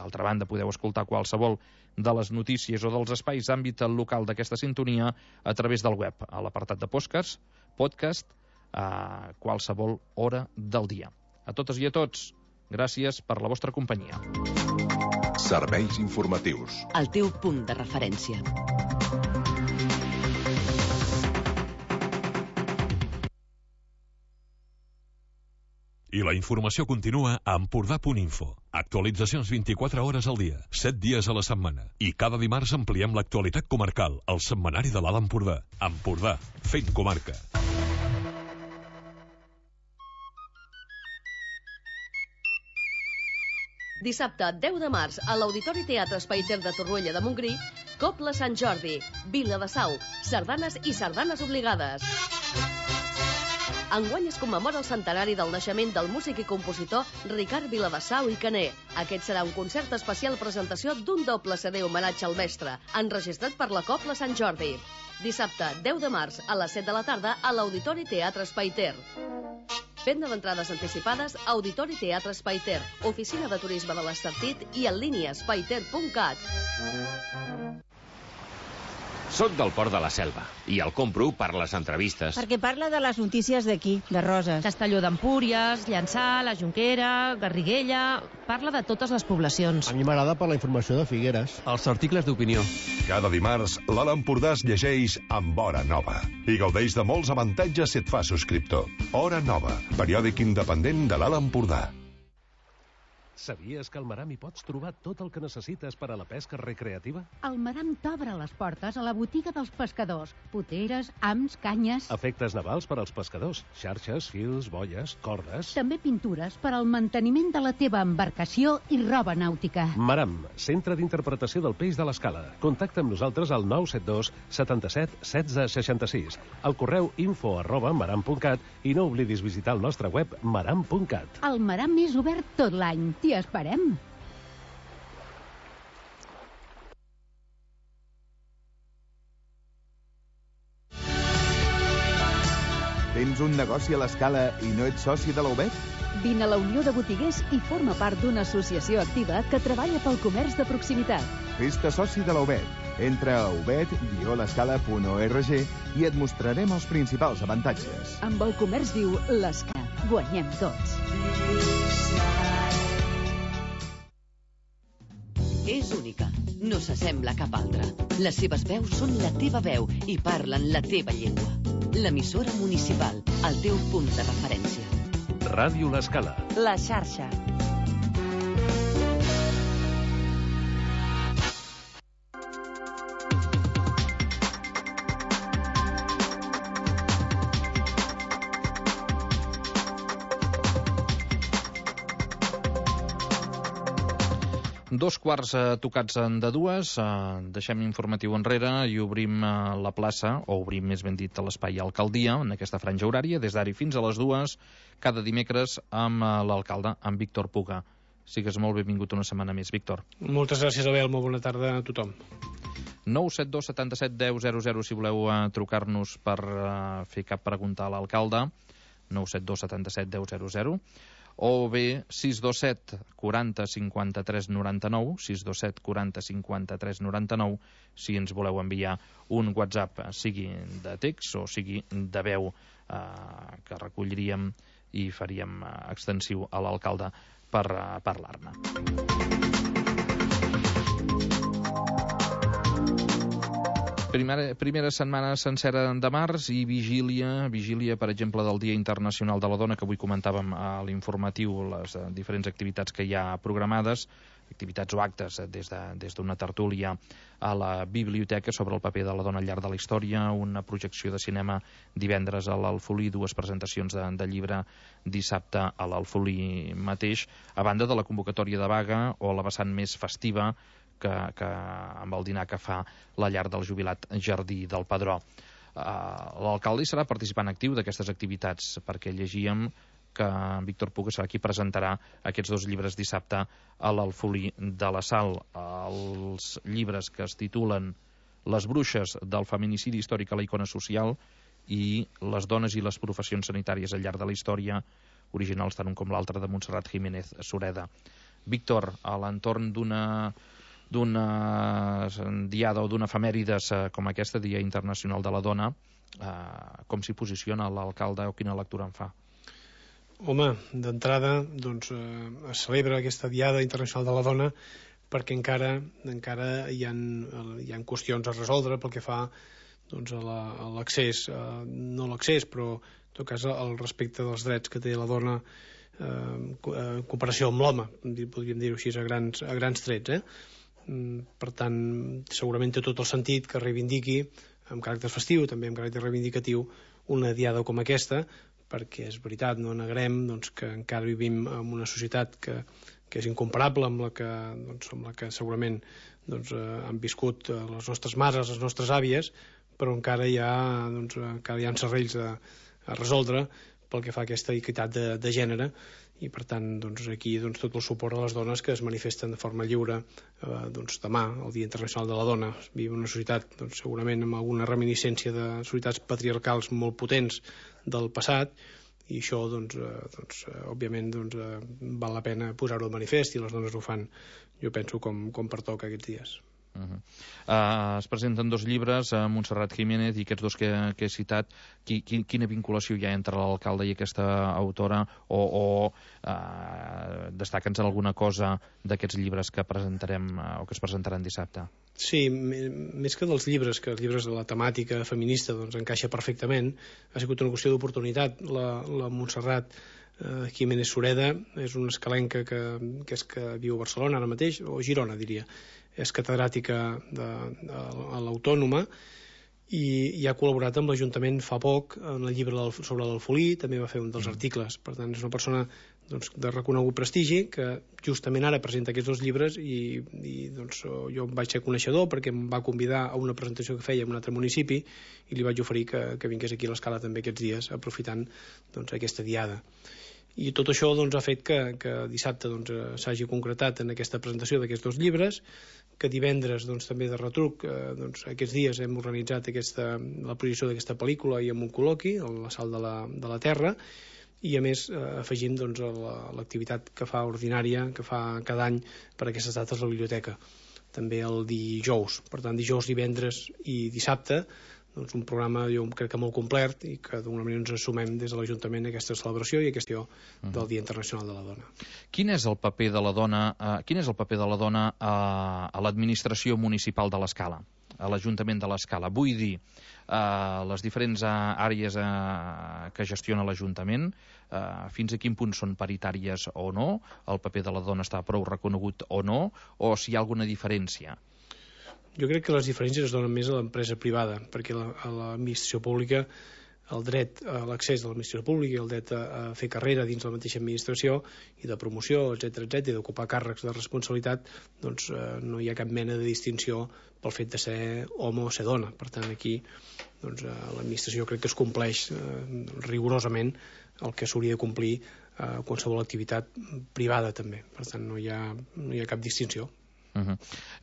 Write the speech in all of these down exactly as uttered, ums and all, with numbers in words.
D'altra banda, podeu escoltar qualsevol de les notícies o dels espais d'àmbit local d'aquesta sintonia a través del web, a l'apartat de podcast, podcast a qualsevol hora del dia. A totes i a tots, gràcies per la vostra companyia. Serveis informatius. El teu punt de referència. I la informació continua a Empordà punt info. Actualitzacions vint-i-quatre hores al dia, set dies a la setmana. I cada dimarts ampliem l'actualitat comarcal, al setmanari de l'Alt Empordà. Empordà, fent comarca. Dissabte, deu de març, a l'Auditori Teatre Espai Ter de Torroella de Montgrí, Cobla Sant Jordi, Vila de Sau, sardanes i sardanes obligades. Enguany es commemora el centenari del naixement del músic i compositor Ricard Viladesau i Caner. Aquest serà un concert especial presentació d'un doble C D homenatge al mestre, enregistrat per la Cobla Sant Jordi. Dissabte, deu de març, a les set de la tarda, a l'Auditori Teatre Espai Ter. Venda d'entrades anticipades, Auditori Teatre Espai Ter, Oficina de Turisme de l'Estartit i en línia espaiter punt cat. Soc del Port de la Selva i el compro per les entrevistes. Perquè parla de les notícies d'aquí, de Roses. Castelló d'Empúries, Llançà, la Jonquera, Garriguella... Parla de totes les poblacions. A mi m'agrada per la informació de Figueres. Els articles d'opinió. Cada dimarts, l'Alt Empordà es llegeix amb Hora Nova i gaudeix de molts avantatges si et fa subscriptor. Hora Nova, periòdic independent de l'Alt Empordà. Sabies que al Maram hi pots trobar tot el que necessites per a la pesca recreativa? El Maram t'obre les portes a la botiga dels pescadors. Poteres, hams, canyes... Efectes navals per als pescadors. Xarxes, fils, boies, cordes... També pintures per al manteniment de la teva embarcació i roba nàutica. Maram, centre d'interpretació del peix de l'Escala. Contacta amb nosaltres al nou set dos setanta-set setze seixanta-sis. Al correu info arroba maram punt cat i no oblidis visitar el nostre web maram punt cat. El Maram és obert tot l'any. T'hi esperem. Tens un negoci a l'Escala i no ets soci de la U B E T? Vine a la Unió de Botiguers i forma part d'una associació activa que treballa pel comerç de proximitat. Fes-te soci de la U B E T. Entra a ubet guió l'escala punt org i et mostrarem els principals avantatges. Amb el comerç viu, l'Escala. Guanyem tots. És única, no s'assembla a cap altra. Les seves veus són la teva veu i parlen la teva llengua. L'emissora municipal, el teu punt de referència. Ràdio L'Escala. La xarxa. Dos quarts eh, tocats de dues, eh, deixem informatiu enrere i obrim eh, la plaça, o obrim més ben dit l'espai Alcaldia, en aquesta franja horària, des d'ara fins a les dues, cada dimecres amb eh, l'alcalde, amb Víctor Puga. Sigues molt benvingut una setmana més, Víctor. Moltes gràcies, Abel, molt bona tarda a tothom. nou set dos setanta-set deu zero zero si voleu eh, trucar-nos per eh, fer cap pregunta a l'alcalde, nou set dos setanta-set deu zero zero, o bé sis dos set quaranta cinquanta-tres noranta-nou, sis dos set quaranta cinquanta-tres noranta-nou, si ens voleu enviar un WhatsApp, sigui de text o sigui de veu, eh, que recolliríem i faríem eh, extensiu a l'alcalde per eh, parlar-ne. Primera, primera setmana sencera de març i vigília, vigília, per exemple, del Dia Internacional de la Dona, que avui comentàvem a l'informatiu, les eh, diferents activitats que hi ha programades, activitats o actes eh, des d'una de, des tertúlia a la biblioteca sobre el paper de la dona al llarg de la història, una projecció de cinema divendres a l'Alfolí, dues presentacions de, de llibre dissabte a l'Alfolí mateix, a banda de la convocatòria de vaga o la vessant més festiva Que, que amb el dinar que fa la llar del jubilat Jardí del Padró. Uh, L'alcalde serà participant actiu d'aquestes activitats, perquè llegíem que Víctor Puga serà qui presentarà aquests dos llibres dissabte a l'Alfolí de la Sal. Els llibres que es titulen Les bruixes del feminicidi històric a la icona social i Les dones i les professions sanitàries al llarg de la història, originals tant un com l'altre de Montserrat Jiménez Sureda. Víctor, a l'entorn d'una d'una diada o d'una efemèrides com aquesta, Dia Internacional de la Dona, eh, com s'hi posiciona l'alcalde o quina lectura en fa? Home, d'entrada, doncs, eh, es celebra aquesta Diada Internacional de la Dona perquè encara encara hi ha, hi ha qüestions a resoldre pel que fa doncs, a l'accés, eh, no l'accés, però en tot cas el respecte dels drets que té la dona eh, en comparació amb l'home, podríem dir-ho així a grans, a grans trets, eh? Per tant, segurament té tot el sentit que reivindiqui amb caràcter festiu, també amb caràcter reivindicatiu, una diada com aquesta, perquè és veritat, no negarem doncs, que encara vivim en una societat que, que és incomparable amb la que, doncs, amb la que segurament doncs, eh, han viscut les nostres mares, les nostres àvies, però encara hi ha, doncs, encara hi ha serrells a, a resoldre pel que fa a aquesta equitat de, de gènere, i per tant doncs, aquí doncs, tot el suport a les dones que es manifesten de forma lliure eh, doncs, demà, el Dia Internacional de la Dona. Vivim una societat doncs, segurament amb alguna reminiscència de societats patriarcals molt potents del passat, i això doncs, eh, doncs, eh, òbviament doncs, eh, val la pena posar-ho al manifest, i les dones ho fan, jo penso, com, com pertoca aquests dies. Uh -huh. uh, es presenten dos llibres, uh, Montserrat Jiménez i aquests dos que, que he citat. Qui, qui, quina vinculació hi ha entre l'alcalde i aquesta autora, o, o uh, destaca'ns alguna cosa d'aquests llibres que presentarem uh, o que es presentaran dissabte? Sí, més que dels llibres, que els llibres de la temàtica feminista doncs, encaixa perfectament, ha sigut una qüestió d'oportunitat. La, la Montserrat uh, Jiménez Sureda és una escalenca que, que és que viu a Barcelona ara mateix, o Girona diria, és catedràtica de, de, a l'Autònoma, i, i ha col·laborat amb l'Ajuntament fa poc en el llibre del, sobre l'alfolí, també va fer un dels mm. articles. Per tant, és una persona doncs, de reconegut prestigi que justament ara presenta aquests dos llibres, i, i doncs, jo vaig ser coneixedor perquè em va convidar a una presentació que feia en un altre municipi, i li vaig oferir que, que vingués aquí a l'Escala també aquests dies, aprofitant doncs, aquesta diada. I tot això doncs, ha fet que, que dissabte doncs, s'hagi concretat en aquesta presentació d'aquests dos llibres, que divendres doncs, també de retruc eh, doncs, aquests dies hem organitzat aquesta, la projecció d'aquesta pel·lícula i amb un col·loqui a la Sal de la, de la Terra, i a més eh, afegim doncs, l'activitat que fa ordinària, que fa cada any per aquestes dates la biblioteca, també el dijous. Per tant, dijous, divendres i dissabte, doncs un programa jo crec que molt complet, i que d'alguna manera ens assumem des de l'Ajuntament aquesta celebració i aquesta uh-huh. del Dia Internacional de la Dona. Quin és el paper de la dona, eh, quin és el paper de la dona a, a l'administració municipal de l'Escala, a l'Ajuntament de l'Escala? Vull dir, eh, les diferents àrees eh, que gestiona l'Ajuntament, eh, fins a quin punt són paritàries o no, el paper de la dona està prou reconegut o no, o si hi ha alguna diferència? Jo crec que les diferències es donen més a l'empresa privada, perquè la, a l'administració pública el dret a l'accés a l'administració pública i el dret a, a fer carrera dins la mateixa administració i de promoció, etcètera, etcètera, i d'ocupar càrrecs de responsabilitat, doncs eh, no hi ha cap mena de distinció pel fet de ser home o ser dona. Per tant, aquí doncs, eh, l'administració crec que es compleix eh, rigorosament el que s'hauria de complir eh, qualsevol activitat privada també. Per tant, no hi ha, no hi ha cap distinció. Uh -huh.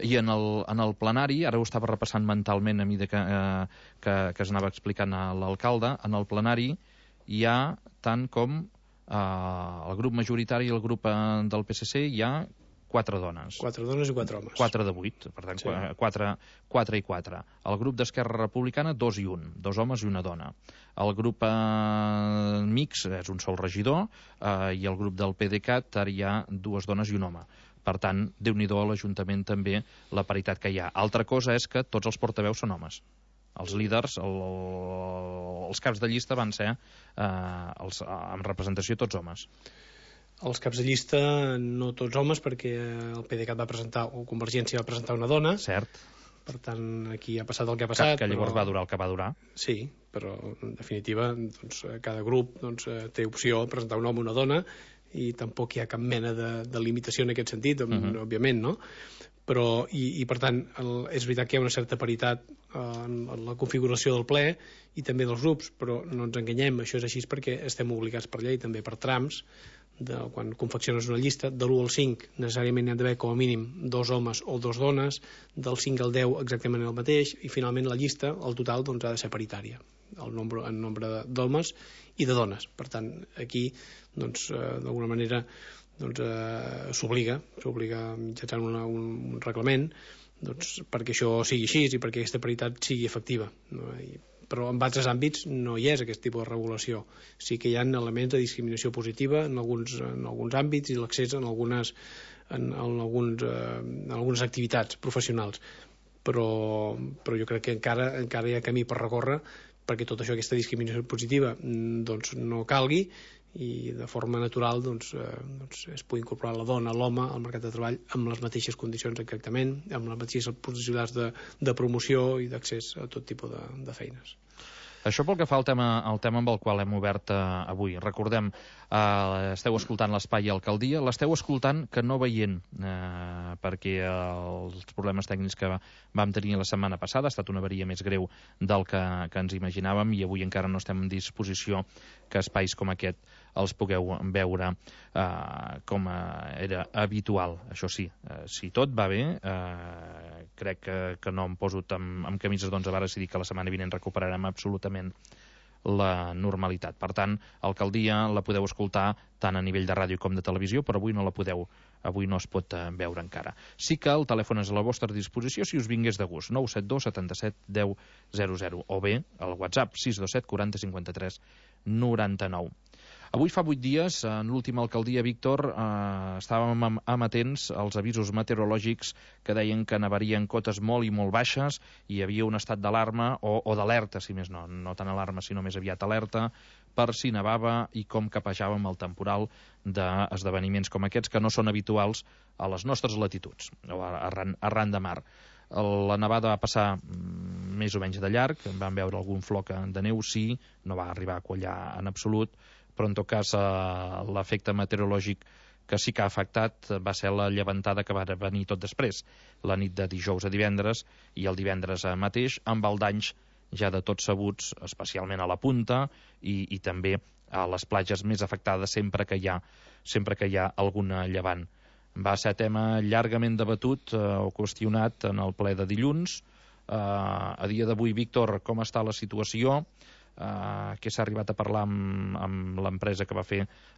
I en el, en el plenari, ara ho estava repassant mentalment a mesura que, eh, que, que es anava explicant a l'alcalde, en el plenari hi ha tant com eh, el grup majoritari i el grup eh, del P S C, hi ha quatre dones. Quatre dones i quatre homes. Quatre de vuit, per tant, sí. quatre, quatre i quatre. El grup d'Esquerra Republicana, dos i un, dos homes i una dona. El grup eh, mix és un sol regidor, eh, i el grup del PDeCAT ara hi ha dues dones i un home. Per tant, Déu-n'hi-do a l'Ajuntament també la paritat que hi ha. Altra cosa és que tots els portaveus són homes. Els líders, el, els caps de llista van ser eh, els, amb representació tots homes. Els caps de llista no tots homes, perquè el PDeCAT va presentar, o Convergència va presentar una dona. Cert. Per tant, aquí ha passat el que ha passat. Que, que llavors però... va durar el que va durar. Sí, però en definitiva doncs, cada grup doncs, té opció a presentar un home o una dona, i tampoc hi ha cap mena de, de limitació en aquest sentit, uh-huh. òbviament, no? Però, i, i per tant, el, és veritat que hi ha una certa paritat eh, en, en la configuració del ple i també dels grups, però no ens enganyem, això és així perquè estem obligats per llei, també per trams, de, quan confecciones una llista, de l'u al cinc necessàriament hi ha d'haver com a mínim dos homes o dos dones, del cinc al deu exactament el mateix, i finalment la llista, el total, doncs, ha de ser paritària, el nombre, en nombre d'homes i de dones. Per tant, aquí, doncs, eh, d'alguna manera, doncs, eh, s'obliga, s'obliga mitjançant una, un, un reglament, doncs, perquè això sigui així i perquè aquesta paritat sigui efectiva, no? I, però en altres àmbits no hi és aquest tipus de regulació. Sí que hi ha elements de discriminació positiva en alguns, en alguns àmbits i l'accés en algunes, en, en, alguns, eh, en algunes activitats professionals, però, però jo crec que encara, encara hi ha camí per recórrer perquè tot això, aquesta discriminació positiva, doncs, no calgui i de forma natural doncs, eh, doncs es pugui incorporar la dona, l'home al mercat de treball amb les mateixes condicions exactament, amb les mateixes possibilitats de, de promoció i d'accés a tot tipus de, de feines. Això pel que fa al tema, al tema amb el qual hem obert eh, avui. Recordem, eh, esteu escoltant l'Espai Alcaldia, l'esteu escoltant que no veient, eh, perquè els problemes tècnics que vam tenir la setmana passada ha estat una avaria més greu del que, que ens imaginàvem i avui encara no estem en disposició que espais com aquest els pugueu veure eh, com era habitual. Això sí, eh, si tot va bé, eh, crec que, que no em poso amb, amb camises d'onze vares i dic que la setmana vinent recuperarem absolutament la normalitat. Per tant, Alcaldia la podeu escoltar tant a nivell de ràdio com de televisió, però avui no la podeu, avui no es pot veure encara. Sí que el telèfon és a la vostra disposició si us vingués de gust, nou set dos setanta-set deu zero zero, o bé el WhatsApp sis dos set quaranta cinquanta-tres noranta-nou. Avui fa vuit dies, en l'última alcaldia, Víctor, eh, estàvem am amatents als avisos meteorològics que deien que nevarien cotes molt i molt baixes i hi havia un estat d'alarma o, o d'alerta, si més no, no tan alarma, sinó més aviat alerta, per si nevava i com capejàvem el temporal d'esdeveniments com aquests que no són habituals a les nostres latituds, o arran, arran de mar. La nevada va passar més o menys de llarg, vam veure algun floc de neu, sí, no va arribar a quallar en absolut, però en tot cas eh, l'efecte meteorològic que sí que ha afectat va ser la llevantada que va venir tot després, la nit de dijous a divendres i el divendres mateix, amb el danys ja de tots sabuts, especialment a la punta i, i també a les platges més afectades sempre que hi ha, sempre que hi ha alguna llevant. Va ser tema llargament debatut eh, o qüestionat en el ple de dilluns. Eh, a dia d'avui, Víctor, com està la situació? Uh, que s'ha arribat a parlar amb, amb l'empresa que va fer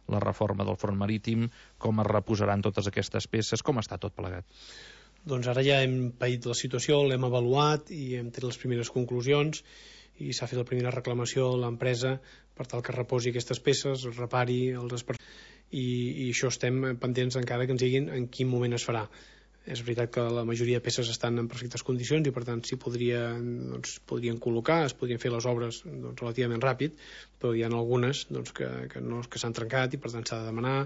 la reforma del front marítim, com es reposaran totes aquestes peces, com està tot plegat? Doncs ara ja hem paït la situació, l'hem avaluat i hem tret les primeres conclusions i s'ha fet la primera reclamació a l'empresa per tal que reposi aquestes peces, repari els espart... I, i això estem pendents encara que ens diguin en quin moment es farà. És veritat que la majoria de peces estan en perfectes condicions i per tant s'hi podria, doncs, podrien col·locar, es podrien fer les obres doncs, relativament ràpid, però hi ha algunes doncs, que, que, no, que s'han trencat i per tant s'ha de demanar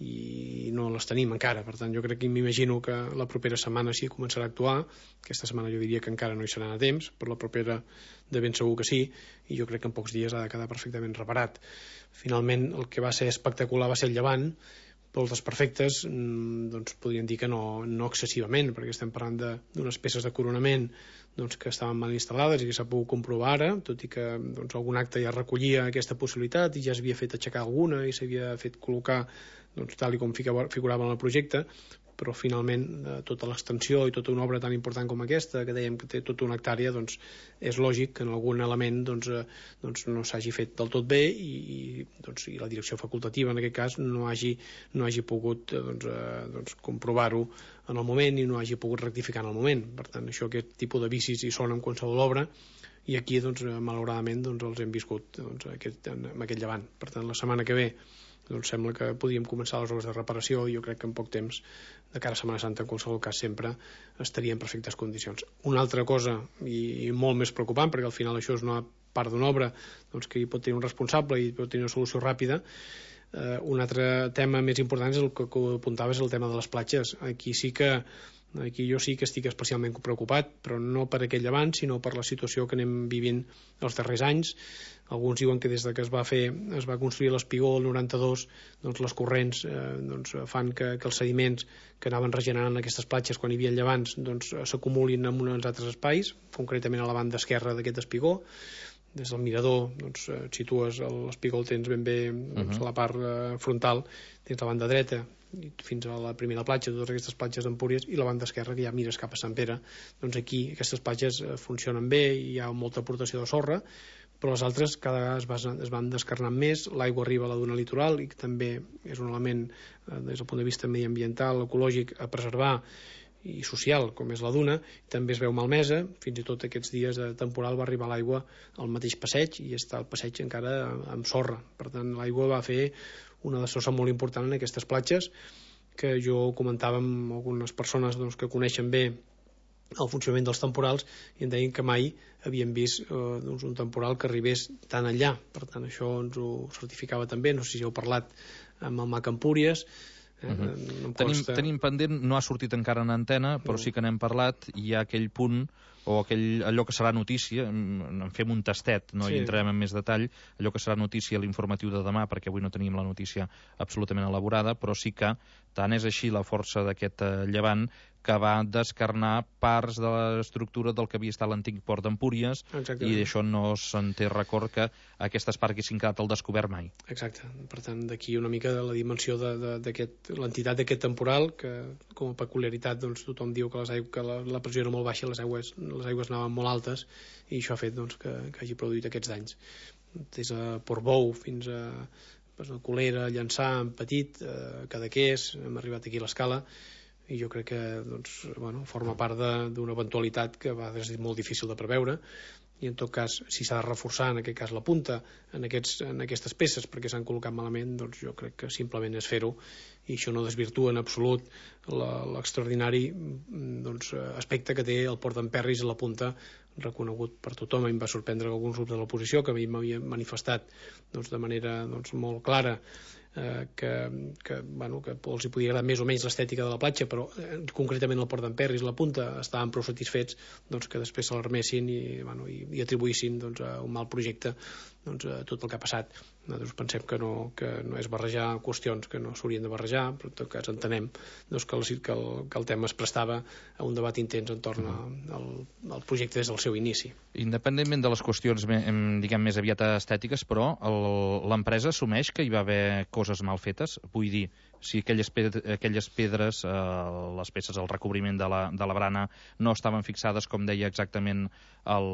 i no les tenim encara. Per tant jo crec que m'imagino que la propera setmana sí començarà a actuar. Aquesta setmana jo diria que encara no hi serà a temps, però la propera de ben segur que sí, i jo crec que en pocs dies ha de quedar perfectament reparat. Finalment el que va ser espectacular va ser el llevant, però els desperfectes doncs, podríem dir que no, no excessivament, perquè estem parlant d'unes peces de coronament doncs, que estaven mal instal·lades i que s'ha pogut comprovar ara, tot i que doncs, algun acte ja recollia aquesta possibilitat i ja s'havia fet aixecar alguna i s'havia fet col·locar doncs, tal i com figurava en el projecte, però finalment eh, tota l'extensió i tota una obra tan important com aquesta, que dèiem que té tota una hectàrea, doncs és lògic que en algun element doncs, eh, doncs no s'hagi fet del tot bé i, i, doncs, i la direcció facultativa en aquest cas no hagi, no hagi pogut eh, doncs, eh, doncs, comprovar-ho en el moment i no hagi pogut rectificar en el moment. Per tant, això, aquest tipus de vicis hi són en qualsevol obra i aquí, doncs, malauradament, doncs, els hem viscut doncs, aquest, amb aquest llevant. Per tant, la setmana que ve doncs sembla que podíem començar les obres de reparació i jo crec que en poc temps, de cara a Setmana Santa, en qualsevol cas sempre estaria en perfectes condicions. Una altra cosa, i, i molt més preocupant, perquè al final això és una part d'una obra doncs, que hi pot tenir un responsable i pot tenir una solució ràpida, eh, un altre tema més important és el que, que apuntaves, el tema de les platges. Aquí sí que Aquí jo sí que estic especialment preocupat, però no per aquest llevant, sinó per la situació que anem vivint els darrers anys. Alguns diuen que des de que es va fer, es va construir l'espigó el noranta-dos, doncs les corrents eh, doncs fan que, que els sediments que anaven regenerant aquestes platges quan hi havia llevants doncs s'acumulin en uns altres espais, concretament a la banda esquerra d'aquest espigó. Des del mirador doncs, et situes l'espigó, el tens ben bé doncs, a la part eh, frontal, tens la banda dreta fins a la primera platja, totes aquestes platges d'Empúries, i la banda esquerra, que ja mires cap a Sant Pere. Doncs aquí aquestes platges funcionen bé, hi ha molta aportació de sorra, però les altres cada vegada es, vas, es van descarnant més, l'aigua arriba a la duna litoral i també és un element eh, des del punt de vista mediambiental, ecològic, a preservar i social, com és la duna, també es veu malmesa, fins i tot aquests dies de temporal va arribar l'aigua al mateix passeig i està el passeig encara amb sorra. Per tant, l'aigua va fer una destrossa molt important en aquestes platges, que jo comentava amb algunes persones doncs, que coneixen bé el funcionament dels temporals i em deien que mai havien vist eh, doncs, un temporal que arribés tan enllà. Per tant, això ens ho certificava també. No sé si heu parlat amb el Mac Empúries. Eh? Uh -huh. no tenim, consta... tenim pendent, no ha sortit encara en antena, però sí que n'hem parlat, i hi ha aquell punt o aquell, allò que serà notícia, en fem un tastet, no sí. hi entrem en més detall, allò que serà notícia a l'informatiu de demà, perquè avui no tenim la notícia absolutament elaborada, però sí que tant és així la força d'aquest eh, llevant que va descarnar parts de l'estructura del que havia estat l'antic port d'Empúries, i d'això no se'n té record que aquestes parts haguessin quedat al descobert mai. Exacte. Per tant, d'aquí una mica de la dimensió de, de, l'entitat d'aquest temporal, que com a peculiaritat doncs, tothom diu que, les aigües, que la, la pressió era molt baixa i les aigües, les aigües anaven molt altes, i això ha fet doncs, que, que hagi produït aquests danys. Des de Portbou fins a pues, a Colera, Llançà, en Petit, eh, Cadaqués, hem arribat aquí a l'Escala, i jo crec que doncs, bueno, forma part d'una eventualitat que va ser molt difícil de preveure, i en tot cas, si s'ha de reforçar en aquest cas la punta en, aquests, en aquestes peces perquè s'han col·locat malament, doncs jo crec que simplement és fer-ho, i això no desvirtua en absolut l'extraordinari doncs, aspecte que té el port d'Emperris a la punta, reconegut per tothom. A mi em va sorprendre que alguns grups de l'oposició que a mi m'havien manifestat doncs, de manera doncs, molt clara eh, que, que, bueno, que els hi podia agradar més o menys l'estètica de la platja, però eh, concretament el port d'Emperris, la punta, estaven prou satisfets doncs, que després se l'armessin i, bueno, i, i atribuïssin doncs, a un mal projecte doncs, a tot el que ha passat. Nosaltres pensem que no, que no és barrejar qüestions que no s'haurien de barrejar, però en tot cas entenem doncs, que, el, que, el, que el tema es prestava a un debat intens entorn al, al projecte des del seu inici. Independentment de les qüestions diguem, més aviat estètiques, però l'empresa assumeix que hi va haver coses mal fetes? Vull dir, si aquelles, pedres, aquelles pedres, eh, les peces, el recobriment de la, de la brana, no estaven fixades com deia exactament el,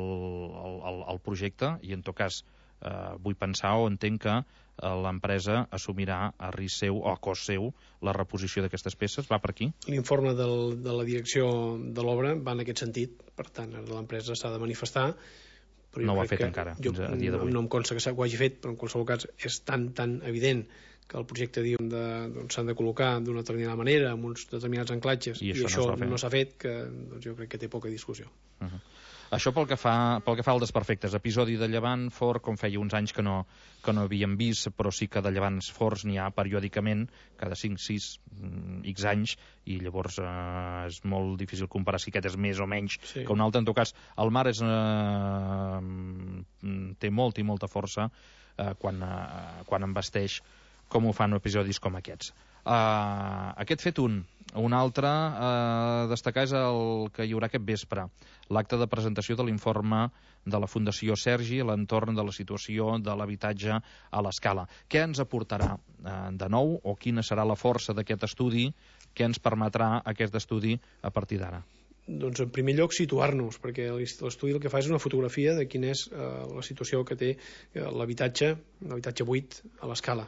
el, el projecte, i en tot cas eh, vull pensar o entenc que l'empresa assumirà a risc seu o a cost seu la reposició d'aquestes peces. Va per aquí? L'informe de la direcció de l'obra va en aquest sentit, per tant l'empresa s'ha de manifestar, però no ho ha fet encara, jo, fins a dia d'avui. No em consta que ho hagi fet, però en qualsevol cas és tan, tan evident que el projecte diu de, doncs, s'han de col·locar d'una determinada manera, amb uns determinats anclatges, i, i això, això no s'ha fet, que doncs, jo crec que té poca discussió. Uh -huh. Això pel que fa pel que fa al desperfectes, episodi de llevant fort, com feia uns anys que no, que no havíem vist, però sí que de llevants forts n'hi ha periòdicament, cada cinc, sis, x anys, i llavors eh, és molt difícil comparar si aquest és més o menys sí. que un altre. En tot cas, el mar és, eh, té molta i molta força eh, quan, eh, quan embasteix, com ho fan episodis com aquests. Uh, aquest fet un. Un altre a uh, destacar és el que hi haurà aquest vespre, l'acte de presentació de l'informe de la Fundació Sergi a l'entorn de la situació de l'habitatge a l'Escala. Què ens aportarà uh, de nou, o quina serà la força d'aquest estudi? Què ens permetrà aquest estudi a partir d'ara? Doncs en primer lloc situar-nos, perquè l'estudi el que fa és una fotografia de quina és uh, la situació que té uh, l'habitatge, l'habitatge buit a l'Escala.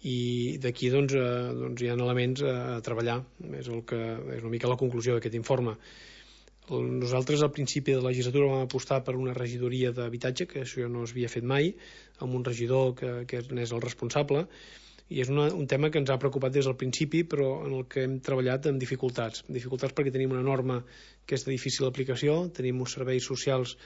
I d'aquí doncs, eh, doncs hi ha elements a treballar, és, el que, és una mica la conclusió d'aquest informe. Nosaltres al principi de la legislatura vam apostar per una regidoria d'habitatge, que això no s'havia fet mai, amb un regidor que, que n'és el responsable, i és una, un tema que ens ha preocupat des del principi, però en el que hem treballat amb dificultats. Dificultats perquè tenim una norma que és de difícil aplicació, tenim uns serveis socials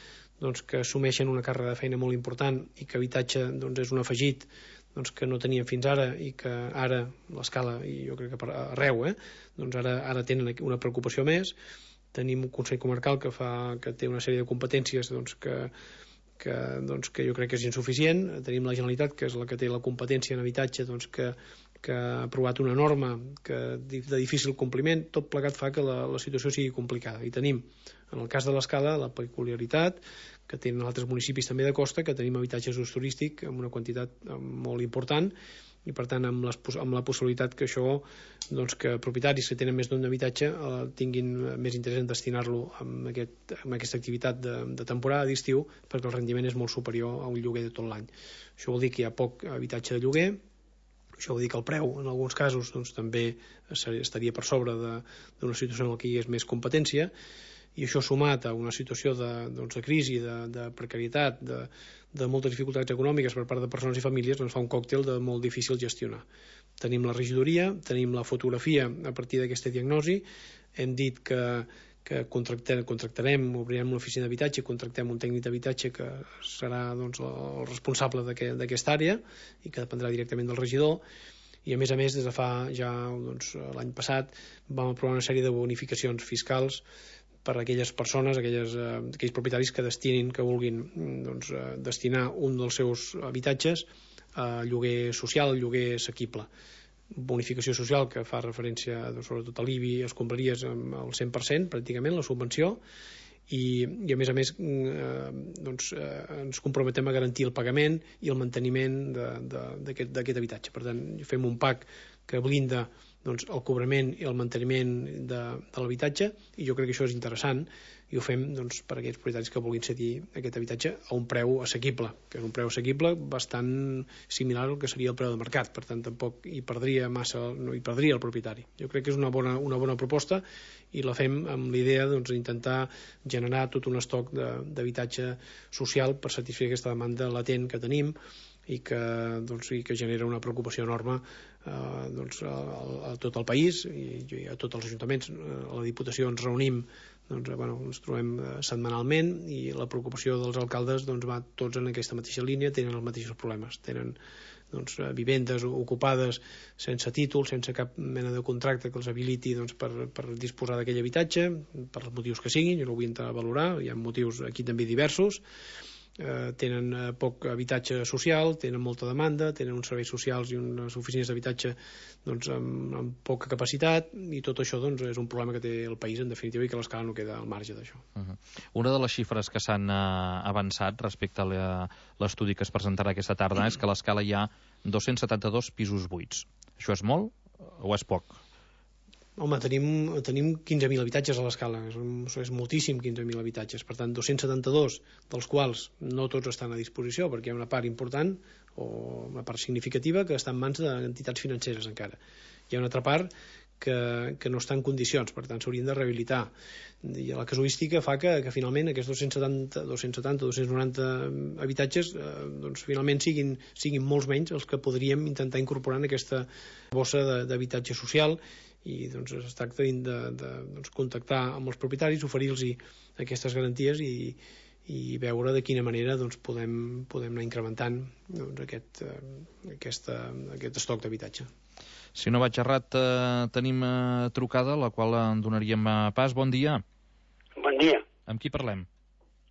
doncs, que assumeixen una càrrega de feina molt important i que habitatge doncs, és un afegit doncs, que no teníem fins ara i que ara l'Escala, i jo crec que per arreu, eh, doncs ara, ara tenen una preocupació més. Tenim un Consell Comarcal que, fa, que té una sèrie de competències doncs, que, que, doncs, que jo crec que és insuficient. Tenim la Generalitat, que és la que té la competència en habitatge, doncs, que, que ha aprovat una norma que, de difícil compliment. Tot plegat fa que la, la situació sigui complicada. I tenim, en el cas de l'Escala, la peculiaritat que tenen altres municipis també de costa, que tenim habitatges d'ús turístic amb una quantitat molt important i per tant amb, les, amb la possibilitat que això, doncs, que propietaris que tenen més d'un habitatge eh, tinguin més interès en destinar-lo amb, aquest, amb aquesta activitat de, de temporada d'estiu, perquè el rendiment és molt superior a un lloguer de tot l'any. Això vol dir que hi ha poc habitatge de lloguer, això vol dir que el preu en alguns casos doncs, també estaria per sobre d'una situació en què hi és més competència, i això sumat a una situació de, doncs, de crisi, de, de precarietat, de, de moltes dificultats econòmiques per part de persones i famílies, doncs fa un còctel de molt difícil gestionar. Tenim la regidoria, tenim la fotografia a partir d'aquesta diagnosi, hem dit que, que contractem, contractarem, obrirem una oficina d'habitatge, contractem un tècnic d'habitatge que serà doncs, el responsable d'aquesta àrea i que dependrà directament del regidor, i a més a més des de fa ja doncs, l'any passat vam aprovar una sèrie de bonificacions fiscals per a aquelles persones, aquelles, eh, aquells propietaris que destinin, que vulguin doncs, eh, destinar un dels seus habitatges a lloguer social, lloguer assequible. Bonificació social que fa referència doncs, sobretot a l'I B I, escombraries al cent per cent pràcticament, la subvenció, i, i a més a més eh, doncs, eh, ens comprometem a garantir el pagament i el manteniment d'aquest habitatge. Per tant, fem un pack que blinda doncs, el cobrament i el manteniment de, de l'habitatge, i jo crec que això és interessant, i ho fem doncs, per a aquells propietaris que vulguin cedir aquest habitatge a un preu assequible, que és un preu assequible bastant similar al que seria el preu de mercat, per tant tampoc hi perdria massa, no hi perdria el propietari. Jo crec que és una bona, una bona proposta i la fem amb l'idea doncs, d'intentar generar tot un estoc d'habitatge social per satisfer aquesta demanda latent que tenim i que, doncs, i que genera una preocupació enorme eh, doncs, a, a tot el país i, i a tots els ajuntaments. A la Diputació ens reunim, doncs, bueno, ens trobem setmanalment i la preocupació dels alcaldes doncs, va tots en aquesta mateixa línia, tenen els mateixos problemes, tenen doncs, vivendes ocupades sense títol, sense cap mena de contracte que els habiliti doncs, per, per disposar d'aquell habitatge, per els motius que siguin, jo no ho vull entrar a valorar, hi ha motius aquí també diversos. Eh, tenen eh, poc habitatge social, tenen molta demanda, tenen uns serveis socials i unes oficines d'habitatge doncs, amb, amb poca capacitat, i tot això doncs, és un problema que té el país en definitiva i que l'Escala no queda al marge d'això. Uh-huh. Una de les xifres que s'han uh, avançat respecte a l'estudi que es presentarà aquesta tarda uh-huh. és que a l'Escala hi ha dos-cents setanta-dos pisos buits. Això és molt o és poc? Home, tenim, tenim quinze mil habitatges a l'Escala, és, és moltíssim quinze mil habitatges, per tant dos-cents setanta-dos dels quals no tots estan a disposició perquè hi ha una part important o una part significativa que està en mans d'entitats financeres encara. Hi ha una altra part que, que no està en condicions, per tant s'haurien de rehabilitar. I la casuística fa que, que finalment aquests dos-cents setanta, dos-cents setanta, dos-cents noranta habitatges eh, doncs finalment siguin, siguin molts menys els que podríem intentar incorporar en aquesta bossa d'habitatge social, i doncs es tracta de, de doncs, contactar amb els propietaris, oferir-los aquestes garanties i, i veure de quina manera doncs, podem, podem anar incrementant doncs, aquest, eh, aquesta, aquest estoc d'habitatge. Si no vaig errat, eh, tenim eh, trucada, la qual en donaríem eh, pas. Bon dia. Bon dia. Amb qui parlem?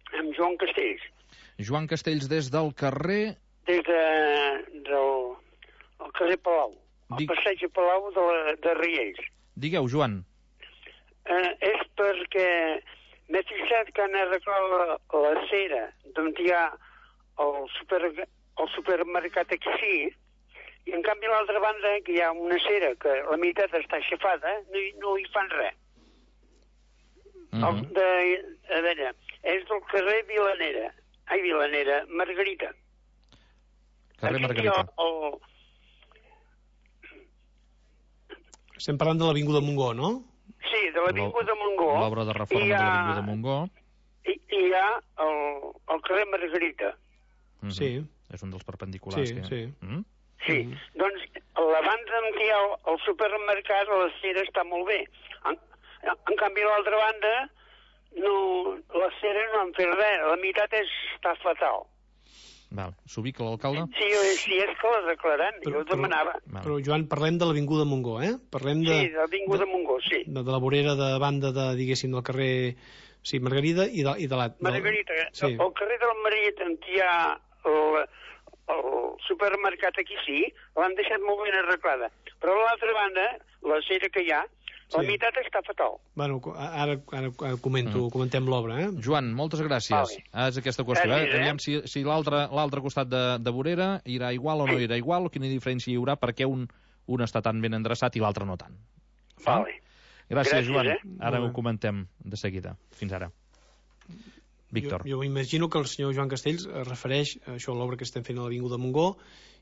Amb Joan Castells. Joan Castells, des del carrer... Des de, del el carrer Palau. El Dic... passeig a Palau de, la, de Riells. Digueu, Joan. Eh, és perquè m'he fixat que han arreglat la, la cera d'on hi ha el, super, el supermercat aquí, i en canvi a l'altra banda, que hi ha una cera que la meitat està aixafada, no, no hi fan res. Mm-hmm. el, de, a veure, és del carrer Vilanera. Ai, Vilanera, Margarita. Carrer Margarita. El, el, Estem parlant de l'Avinguda Montgó, no? Sí, de l'Avinguda Montgó. L'obra de reforma ha, de l'Avinguda Montgó. I hi ha el, el carrer Margarita. Mm-hmm. Sí. És un dels perpendiculars. Sí, que... sí. Mm? Sí, mm-hmm. Doncs a la banda en què hi ha el supermercat, la cera està molt bé. En, en canvi, a l'altra banda, no, la cera no han fet res. La meitat és, està fatal. Val. S'ubica l'alcalde? Sí, sí, és que la declaren, jo ho demanava. Però, però, Joan, parlem de l'Avinguda Montgó, eh? Parlem de, sí, de l'Avinguda Montgó, sí. De, de la vorera de banda, de, diguéssim, del carrer sí, Margarida i de, i de la... Margarita, sí. El carrer de la Margarita, en què hi ha el, el supermercat aquí, sí, l'han deixat molt ben arreglada. Però a l'altra banda, la cera que hi ha, La meitat està fatal. Bueno, ara, ara comento, mm. comentem l'obra, eh? Joan, moltes gràcies. Vale. És aquesta qüestió, eh? Aviam si, si l'altre costat de, de vorera irà igual o no irà igual, o quina diferència hi haurà, perquè un, un està tan ben endreçat i l'altre no tant. Vale. Gràcies, gràcies, Joan. Eh? Ara ho comentem de seguida. Fins ara. Víctor. Jo, jo m'imagino que el senyor Joan Castells es refereix a això, a l'obra que estem fent a l'Avinguda Montgó,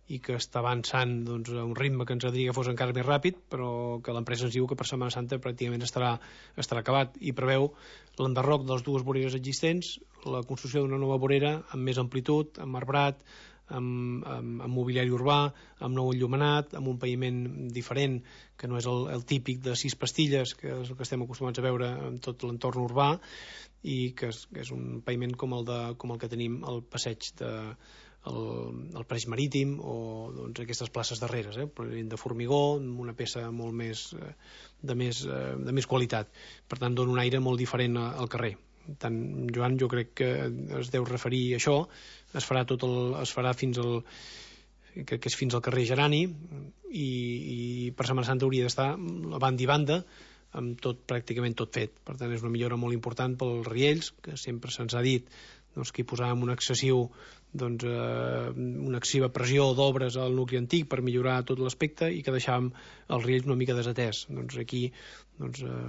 i que està avançant doncs, a un ritme que ens agradaria que fos encara més ràpid, però que l'empresa ens diu que per Setmana Santa pràcticament estarà, estarà acabat, i preveu l'enderroc de les dues voreres existents, la construcció d'una nova vorera amb més amplitud, amb arbrat, amb, amb, amb mobiliari urbà, amb nou enllumenat, amb un paviment diferent, que no és el, el típic de sis pastilles, que és el que estem acostumats a veure en tot l'entorn urbà, i que és, que és un paviment com el, de, com el que tenim al passeig de el, el Pareix Marítim, o doncs, aquestes places darreres, eh? de formigó, amb una peça molt més de, més de més qualitat. Per tant, dona un aire molt diferent al carrer. Tant, Joan, jo crec que es deu referir a això. Es farà, tot el, es farà fins al crec que és fins al carrer Gerani, i, i per Setmana Santa hauria d'estar a banda i banda amb tot, pràcticament tot fet. Per tant, és una millora molt important pels riells, que sempre se'ns ha dit doncs, que hi posàvem un excessiu doncs, eh, una excessiva pressió d'obres al nucli antic per millorar tot l'aspecte, i que deixàvem els riells una mica desatès. Doncs aquí doncs, eh,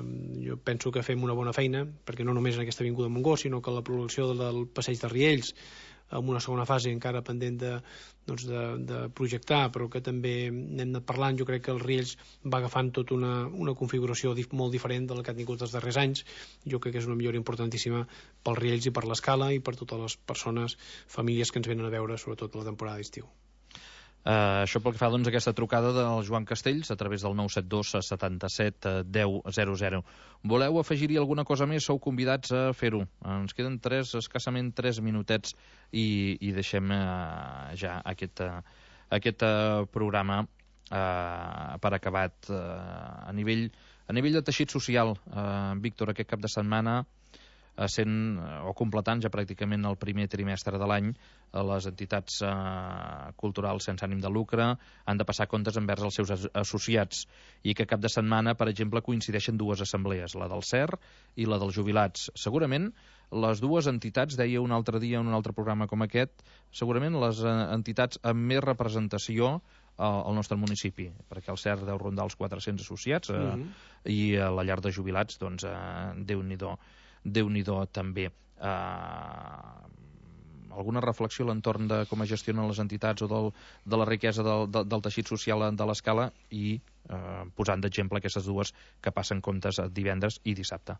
jo penso que fem una bona feina, perquè no només en aquesta avinguda Montgó, sinó que la prolongació del passeig de Riells, amb una segona fase encara pendent de, doncs de, de projectar, però que també n'hem anat parlant. Jo crec que els Riells va agafant tota una, una configuració dif, molt diferent de la que ha tingut els darrers anys. Jo crec que és una millora importantíssima pels Riells i per l'escala i per totes les persones, famílies que ens venen a veure, sobretot la temporada d'estiu. Uh, això pel que fa doncs, a aquesta trucada del Joan Castells a través del nou set dos setanta-set deu zero zero. Voleu afegir-hi alguna cosa més? Sou convidats a fer-ho. Ens queden tres, escassament tres minutets i, i deixem uh, ja aquest, uh, aquest uh, programa uh, per acabat. Uh, a, nivell, a nivell de teixit social, uh, Víctor, aquest cap de setmana, sent o completant ja pràcticament el primer trimestre de l'any, les entitats eh, culturals sense ànim de lucre han de passar comptes envers els seus associats, i que cap de setmana, per exemple, coincideixen dues assemblees, la del C E R i la dels jubilats. Segurament les dues entitats, deia un altre dia en un altre programa com aquest, segurament les entitats amb més representació al nostre municipi, perquè el C E R deu rondar els quatre-cents associats, eh, mm-hmm. i a la llar de jubilats, doncs, eh, Déu-n'hi-do. Déu-n'hi-do també. Uh, alguna reflexió a l'entorn de com es gestionen les entitats o del, de la riquesa del, del, del teixit social de l'escala, i uh, posant d'exemple aquestes dues que passen comptes divendres i dissabte.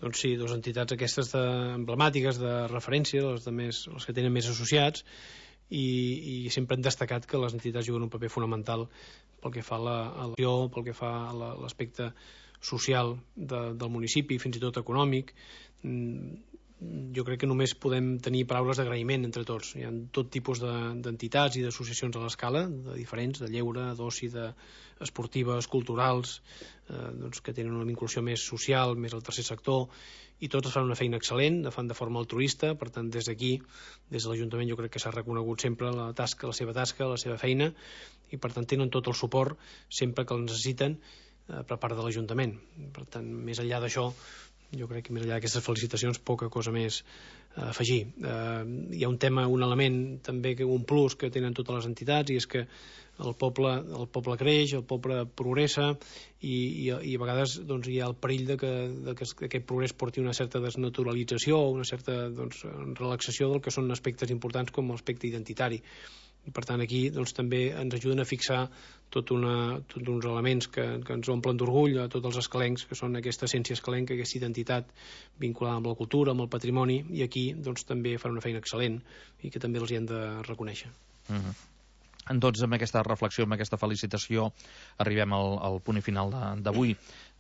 Doncs sí, dues entitats aquestes de, emblemàtiques de referència, les, de més, les que tenen més associats, i, i sempre han destacat que les entitats juguen un paper fonamental pel que fa a l'acció, pel que fa a la, l'aspecte social de, del municipi, fins i tot econòmic. Jo crec que només podem tenir paraules d'agraïment entre tots. Hi ha tot tipus d'entitats i d'associacions a l'escala, de diferents, de lleure, d'oci, d'esportives, culturals, eh, doncs que tenen una vinculació més social, més al tercer sector, i totes fan una feina excel·lent, la fan de forma altruista. Per tant, des d'aquí, des de l'Ajuntament, jo crec que s'ha reconegut sempre la tasca, la seva tasca, la seva feina, i per tant tenen tot el suport sempre que el necessiten per part de l'Ajuntament. Per tant, més enllà d'això, jo crec que més enllà d'aquestes felicitacions, poca cosa més a afegir. Eh, hi ha un tema, un element també, un plus que tenen totes les entitats, i és que el poble, el poble creix, el poble progressa, i, i, i a vegades doncs, hi ha el perill de que, de que aquest progrés porti una certa desnaturalització, una certa doncs, relaxació del que són aspectes importants com l'aspecte identitari. I per tant aquí doncs, també ens ajuden a fixar tot una, tots uns elements que, que ens omplen d'orgull a tots els escalencs, que són aquesta essència escalenca, aquesta identitat vinculada amb la cultura, amb el patrimoni, i aquí doncs, també fan una feina excel·lent i que també els hi hem de reconèixer. Uh-huh. Doncs amb aquesta reflexió, amb aquesta felicitació, arribem al, al punt final d'avui.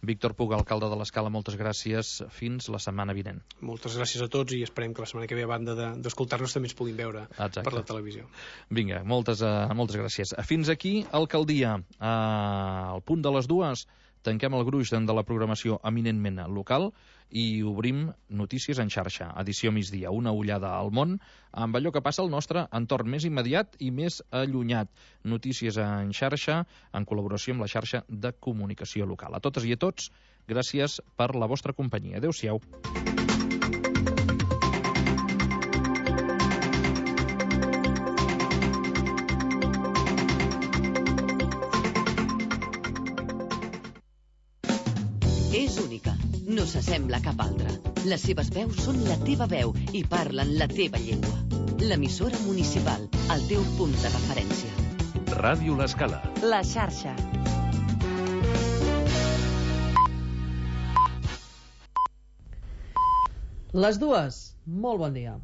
Víctor Puig, alcalde de l'Escala, moltes gràcies. Fins la setmana vinent. Moltes gràcies a tots, i esperem que la setmana que ve, a banda d'escoltar-nos, de, també ens puguin veure Exacte. Per la televisió. Vinga, moltes, uh, moltes gràcies. Fins aquí, alcaldia. Uh, al punt de les dues tanquem el gruix de la programació eminentment local i obrim Notícies en xarxa, edició migdia, una ullada al món amb allò que passa al nostre entorn més immediat i més allunyat. Notícies en xarxa en col·laboració amb la xarxa de comunicació local. A totes i a tots, gràcies per la vostra companyia. Adéu-siau. És única, no s'assembla a cap altra. Les seves veus són la teva veu i parlen la teva llengua. L'emissora municipal, el teu punt de referència. Ràdio L'Escala. La xarxa. Les dues. Molt bon dia.